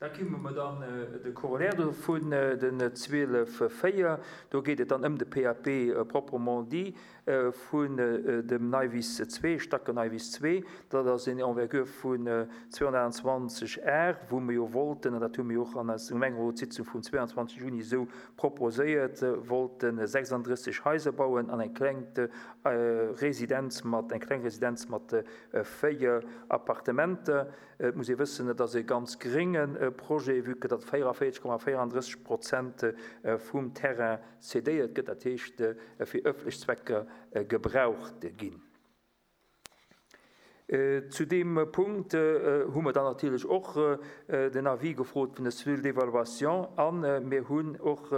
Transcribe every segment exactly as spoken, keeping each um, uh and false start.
Da komme mer dann de Corollaire dovun, den zwielef véier. Do geet et dann ëm de P A P proprement dit vun dem Neiwiss zwee, Stacken Neiwiss zwee. Dat ass eng Envergure vun zweehonnertachtundzwanzeg Ar, wou mir jo wollten, an dat hu mir och an eiser Gemengerotssitzung vum zweiundzwanzeg Juni esou proposéiert, wollten sechsunddrësseg Haiser bauen an eng kleng Residenz mat, eng kleng Residenz mat véier Appartementer. Et muss ee wëssen, et ass e ganz grénge Projet, vu que datt véieravierzeg Komma véierunddrësseg Prozent vum Terrain cédéiert gëtt, dat heescht fir ëffentlech Zwecker gebraucht ginn. Zu deem Punkt hu mer dann natierlech och den Avis gefrot vun der Cellule d'évaluation a mir hunn och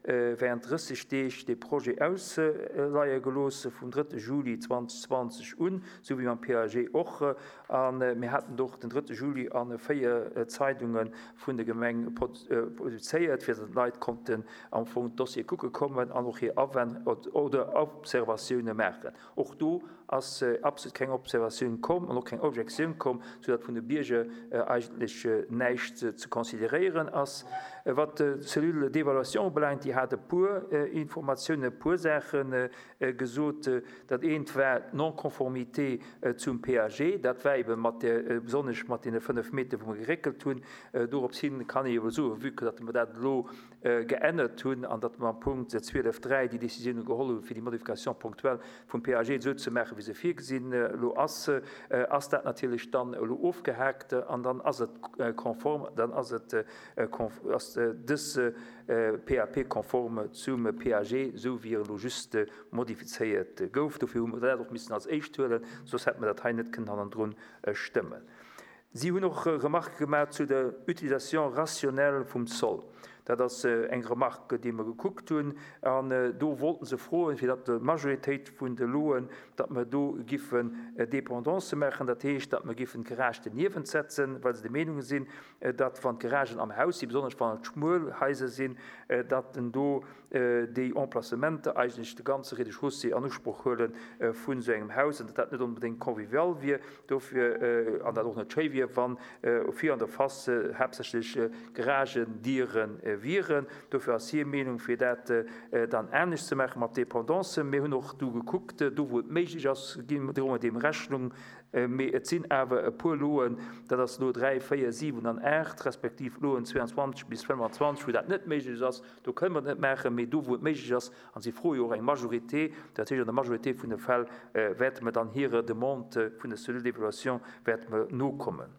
während drësseg Deeg de Projet ausleie gelooss vum drëtte Juli zweedausendzwanzeg un, sou wéi mam P A G och. A mir haten och den drëtte Juli a véier Zeidunge vun der Gemeng publizéiert, fir datt d'Leit konnten am Fong d'Dossier kucke kommen an och hir Awänn oder Observatioune maachen. Och do ass absolut keng Observatioun komm an och keng Objektioun komm, soudatt vun de Bierger eigentlech näischt ze consideréieren ass. Wat d'Cellule d'évaluation ubelaangt, déi hat e puer Informatiounen, e puer Saache gesot. Dat eent war d'Non-conformité zum P A G. Dat war ebe mat der, besonnesch mat deene fënnef Meter, wou mer geréckelt hunn. Dorops hin kann ee jo soen, vue que datt mer dat elo geännert hunn an datt mer am Punkt zwielef dräi déi Décisioune geholl hunn, fir déi Modification ponctuelle vum P A G esou ze maachen, wéi se virgesinn elo ass, ass dat natierlech dann elo ofgehaakt an dann ass et konform, dann ass et ass dës P A P konform zum P A G, esou wéi e elo just modifizéiert gouf. Dofir hu mer dat och missen als éischt huelen, soss hätt mer dat hei net kënnen hannendrun stëmmen. Si hunn och Remarque gemaach zu der Utilisation rationnelle vum Sol. Dat ass eng Remarque, déi mer gekuckt hunn, an do wollten se froen, fir datt d'Majoritéit vun de Loen, datt mer do giffen Dépendance maachen, dat heescht, datt mer giffen d'Garage doniewent setzen, well se der Meenung sinn, datt wann d'Garagen am Haus sinn, besonnesch wann et schmuel Haiser sinn, datt en do déi Emplacementer eigentlech de ganze Rez-de-chaussée an Usproch huele vun esou engem Haus an datt dat net onbedéngt convivial wier dofir an dat och net schéi wier, wann vir an der Face haaptsächlech Garagendiere wieren. Dofir ass hir Meenung, fir dat dann anescht ze maache mat Dépendance. Mir hunn och do gekuckt, do wou et méiglech ass, droe mer deem Rechnung, mee et sinn awer e puer Loen, dat ass Lot dräi, véier, siwen an aacht, respektiv Loen zweiundzwanzeg bis fënnfanzwanzeg, wou dat net méiglech ass. Do kënne mer et net maachen, mee do wou et méiglech ass, a si froe jo och eng Majorité, dat heescht an der Majorité vun de Fäll wäerte mer dann hirer Demande vun der Cellule d'évaluation wäerte mer nokommen.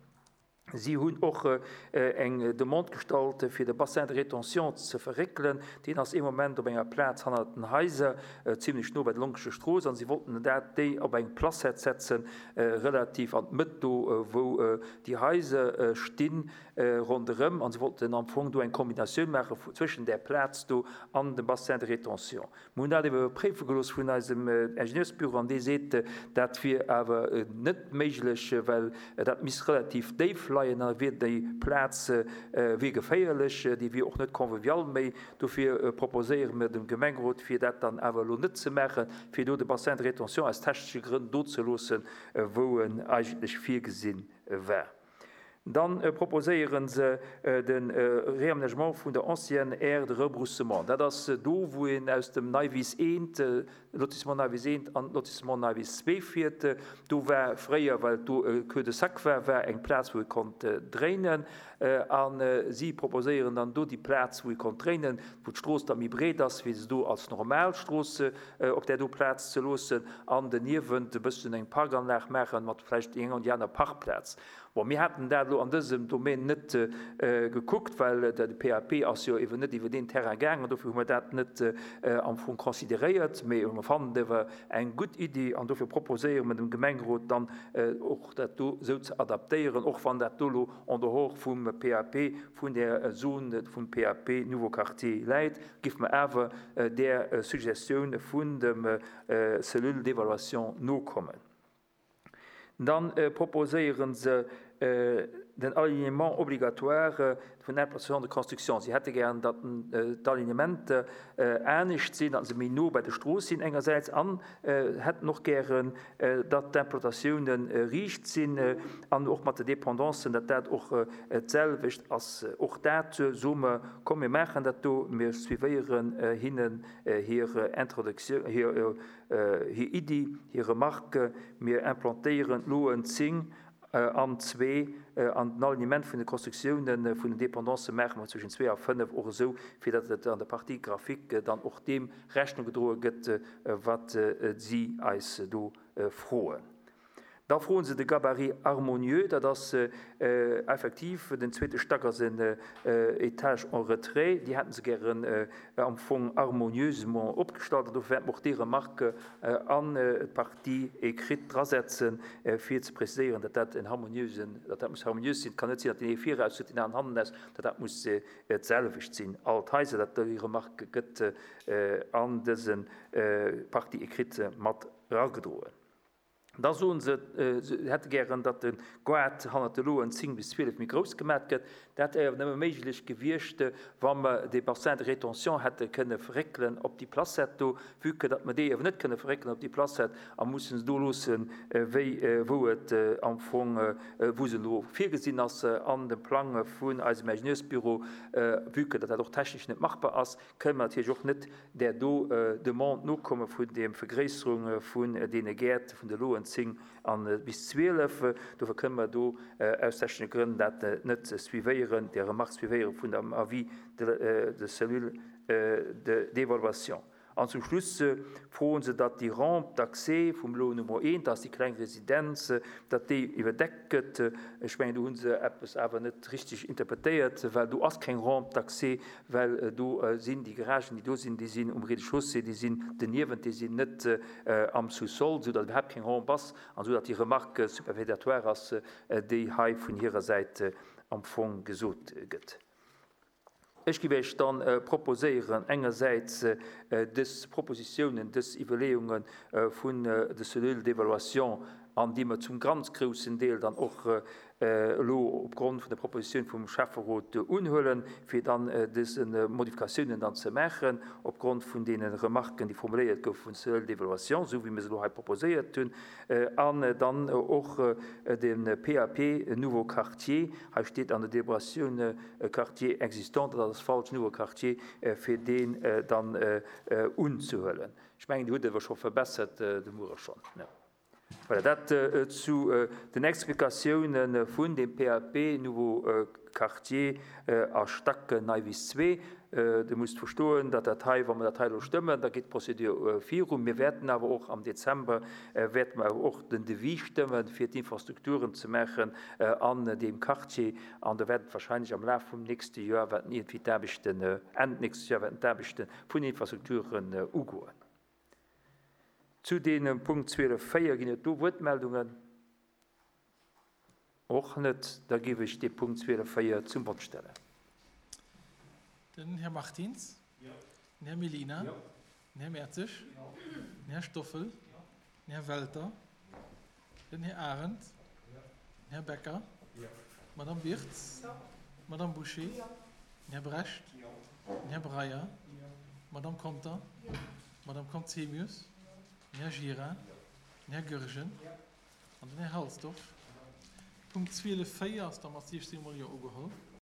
Si hunn och eng Demande gestallt, fir de Bassin de rétention ze verréckelen. Deen ass ee Moment op enger Plaz hannert den Haiser, zimlech no bei der Lonkescher Strooss, an si wollten dat déi op eng Placette setzen, relativ an d'Mëtt do, wou déi Haiser stinn ronderëm. An si wollten am Fong do eng Kombinatioun maache zwëschen där Plaz do an dem Bassin de rétention. Mir hunn dat iwwerpréife gelooss vun eisem Ingenieursbüro an dee seet, dat wier awer net méiglech, well dat misst relativ déif leien an da wier déi Plaz wier geféierlech, déi wier och net convivial méi. Dofir proposéiere mir dem Gemengerot, fir dat dann awer elo net ze maachen, fir do de Bassin de rétention aus technesche Grënn do ze loossen, wou en eigentlech virgesinn war. Dann proposéiere se de Réaménagement vun der ancienne aire de rebroussement. Dat ass do, wou een aus dem Neiwiss eent, Lotissement Neiwiss eent an Lotissement Neiwiss zwee fiert. Do war fréier, well do e Cul-de-sac war, war eng Plaz, wou ee konnt dréinen. A si proposéieren dann do déi Plaz, wou ee konnt dréinen, wou d'Strooss da méi breet ass, wéi se do als normal Strooss op där do Plaz ze loossen an doniewent e bëssen eng Parkanlag maachen mat vläicht eng an déi aner Parkplaz. Bon, mir haten dat elo an dësem Domaine net gekuckt, well de P A P ass jo eben net iwwer deen Terrain gaangen, dofir hu mer dat net am Fong consideréiert, mee mer fannen et awer eng gutt Iddi an dofir proposéiere mer dem Gemengerot dann och dat do esou ze adaptéieren, och wann dat do elo en dehors vum P A P, vun där Zone vum P A P Nouveau Quartier läit, géife mer awer där Suggestioun vun dem Cellule d'évaluation nokommen. Dann proposéiere se Den Alignement obligatoire vun Implantation de construction. Si hätte gären, datt d'Alignementer anescht sinn, datt se méi no bei der Strooss sinn engersäits an hätten och gären, datt d'Implantatiounen riicht sinn an och mat de Dépendancen, datt dat och d'selwecht ass. Och dat soe mer, komm mir maachen dat do, mir suivéieren hinnen hir Introduction, hir Iddi, hir Remarque, mir implantéieren d'Loen zéng an zwee an den Alignement vun de Constructiounen vun den Dépendancë maache mer zwëschen zwee a fënnef och esou, fir datt et an der Partie graphique dann och deem Rechnung gedroe gëtt, wat si eis do froen. Da froen se de Gabarit harmonieux, dat ass effektiv, den zweete Stack ass en Étage en retrait, déi hätte se gären am Fong harmonieusement opgestallt an dofir wäerte mer och déi Remarque an d'Partie écrite drasetzen, fir ze preziséieren, datt dat en harmonieusen, datt dat muss harmoniös sinn. Et kann net sinn, datt deen ee viraus huet, deen aneren hannenaus, datt dat muss d'selwecht sinn. All d'Haiser, datt déi Remarque gëtt an dëse Partie écrite mat eragedroen. Da soen se, se hätte gären, datt de Goart hannert de Loen zéng bis zwielef méi grouss gemat gëtt. Dat wär awer nëmme méiglech gewiescht, wa mer dee Bassin de rétention hätte kënne verréckelen op déi Placette do. Vue que datt mer dee awer net kënne verréckelen op déi Placette a mussen se do loossen, wéi, wou et am Fong, wou se elo virgesinn ass an dem Plang vun eisem Ingenieursbüro, vue que datt dat och technesch net machbar ass, kënne mer natierlech och net där do Demande nokomme vun der Vergréisserung vun deene Gäert vun de Loen zéng an bis zwielef. Dofir kënne mer do aus technesche Grënn dat net suivéieren, déi Remarque suivéiere vun dem Avis de de Cellule d'évaluation. An zum Schluss froen se, datt déi Rampe d'accès vum Lot Nummer eent, dat ass déi kleng Residenz, datt déi iwwerdeckt gëtt. Ech mengen, do hu se eppes awer net richteg interpretéiert, well do ass keng Rampe d'accès, well do sinn déi Garagen, déi do sinn, déi sinn um Rez-de-chaussée, déi sinn doniewent, déi sinn net am Sous-sol, soudatt iwwerhaapt keng Rampe ass an soudatt déi Remarque superfétatoire ass, déi hei vun hirer Säit am Fong gesot gëtt. Ech géif Iech dann proposéieren, engersäits dës Propositionen, dës Iwwerleeunge vun de Cellules d'évaluation, an déi mer zum ganz groussen Deel dann och elo opgrond vun der Proposition vum Schäfferot unhuelen, fir dann dës Modifikatiounen dann ze maachen, opgrond vun deene Remarken, déi formuléiert goufe vun Cellule d'évaluation, esou wéi mir se elo hei proposéiert hunn, an dann och de P A P Nouveau Quartier, hei steet an der Deliberatioun Quartier existant, dat ass falsch, Nouveau Quartier, fir deen dann unzehuelen. Ech mengen, Dir hutt awer scho verbessert de Muere schonn. Voilà, dat zu den Explikatiounen vun dem P A P Nouveau Quartier a Stacken Neiwiss zwee. Dir musst verstoen, datt dat hei, wa mer dat hei elo stëmmen, da geet d'Procédure viru. Mir wäerten awer och am Dezember wäerte mer awer och den Devis stëmmen, fir d'Infrastrukturen ze maachen an deem Quartier. An da wäerten wahrscheinlech am Laf vum nächste Joer wäerten irgendwie d'Aarbechten, Enn nächstes Joer wäerten d'Aarbechte vun Infrastrukturen ugoen. Zu deem Punkt zwielef véier ginn et do Wuertmeldungen? Och net. Da géif ech dee Punkt zwielef véier zum Vott stellen. Den Här Martins? Ja. Den Här Melina? Ja. Den Här Mertzig? Ja. Den Här Stoffel? Ja. Den Här Welter? Ja. Den Här Arendt? Ja. Den Här Becker? Ja. Madame Wirtz? Ja. Madame Boucher? Ja. Den Här Brecht? Ja. Den Här Breyer? Ja. Madame Conter? Ja. Madame Conzemius? Den Här Gira? Den Här Goergen? Ja. An den Här Halsdorf? Punkt zwielef véier ass da mat siechzehn Mol Jo ugeholl.